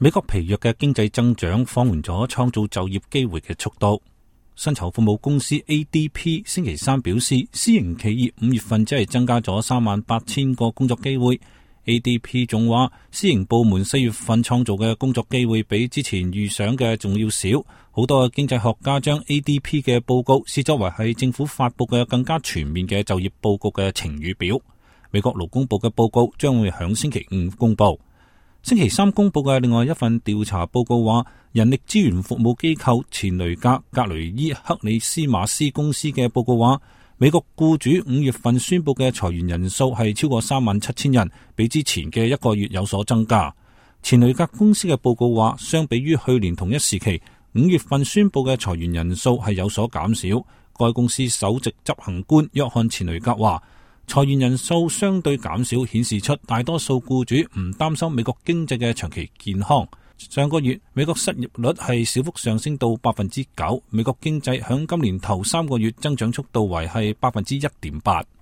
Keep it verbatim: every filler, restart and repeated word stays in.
美國疲弱嘅經濟增長放緩咗創造就業機會嘅速度。薪酬服務公司 A D P 星期三表示，私營企業五月份只係增加咗三萬八千個工作機會。A D P 仲話，私營部門四月份創造嘅工作機會比之前預想嘅仲要少。好多經濟學家將 A D P 嘅報告視作為係政府發佈嘅更加全面嘅就業報告嘅晴雨表。美國勞工部嘅報告將會響星期五公布。星期三公布嘅另外一份調查報告話，人力資源服務機構錢雷格格雷伊克里斯馬斯公司嘅報告話，美國僱主五月份宣布嘅裁員人數係超過三萬七千人，比之前嘅一個月有所增加。錢雷格公司嘅報告話，相比於去年同一時期，五月份宣布嘅裁員人數係有所減少。該公司首席執行官約翰錢雷格話，裁員人數相對減少，顯示出大多數僱主唔擔心美國經濟嘅長期健康。上個月美國失業率係小幅上升到百分之九，美國經濟響今年頭三個月增長速度為係百分之一點八。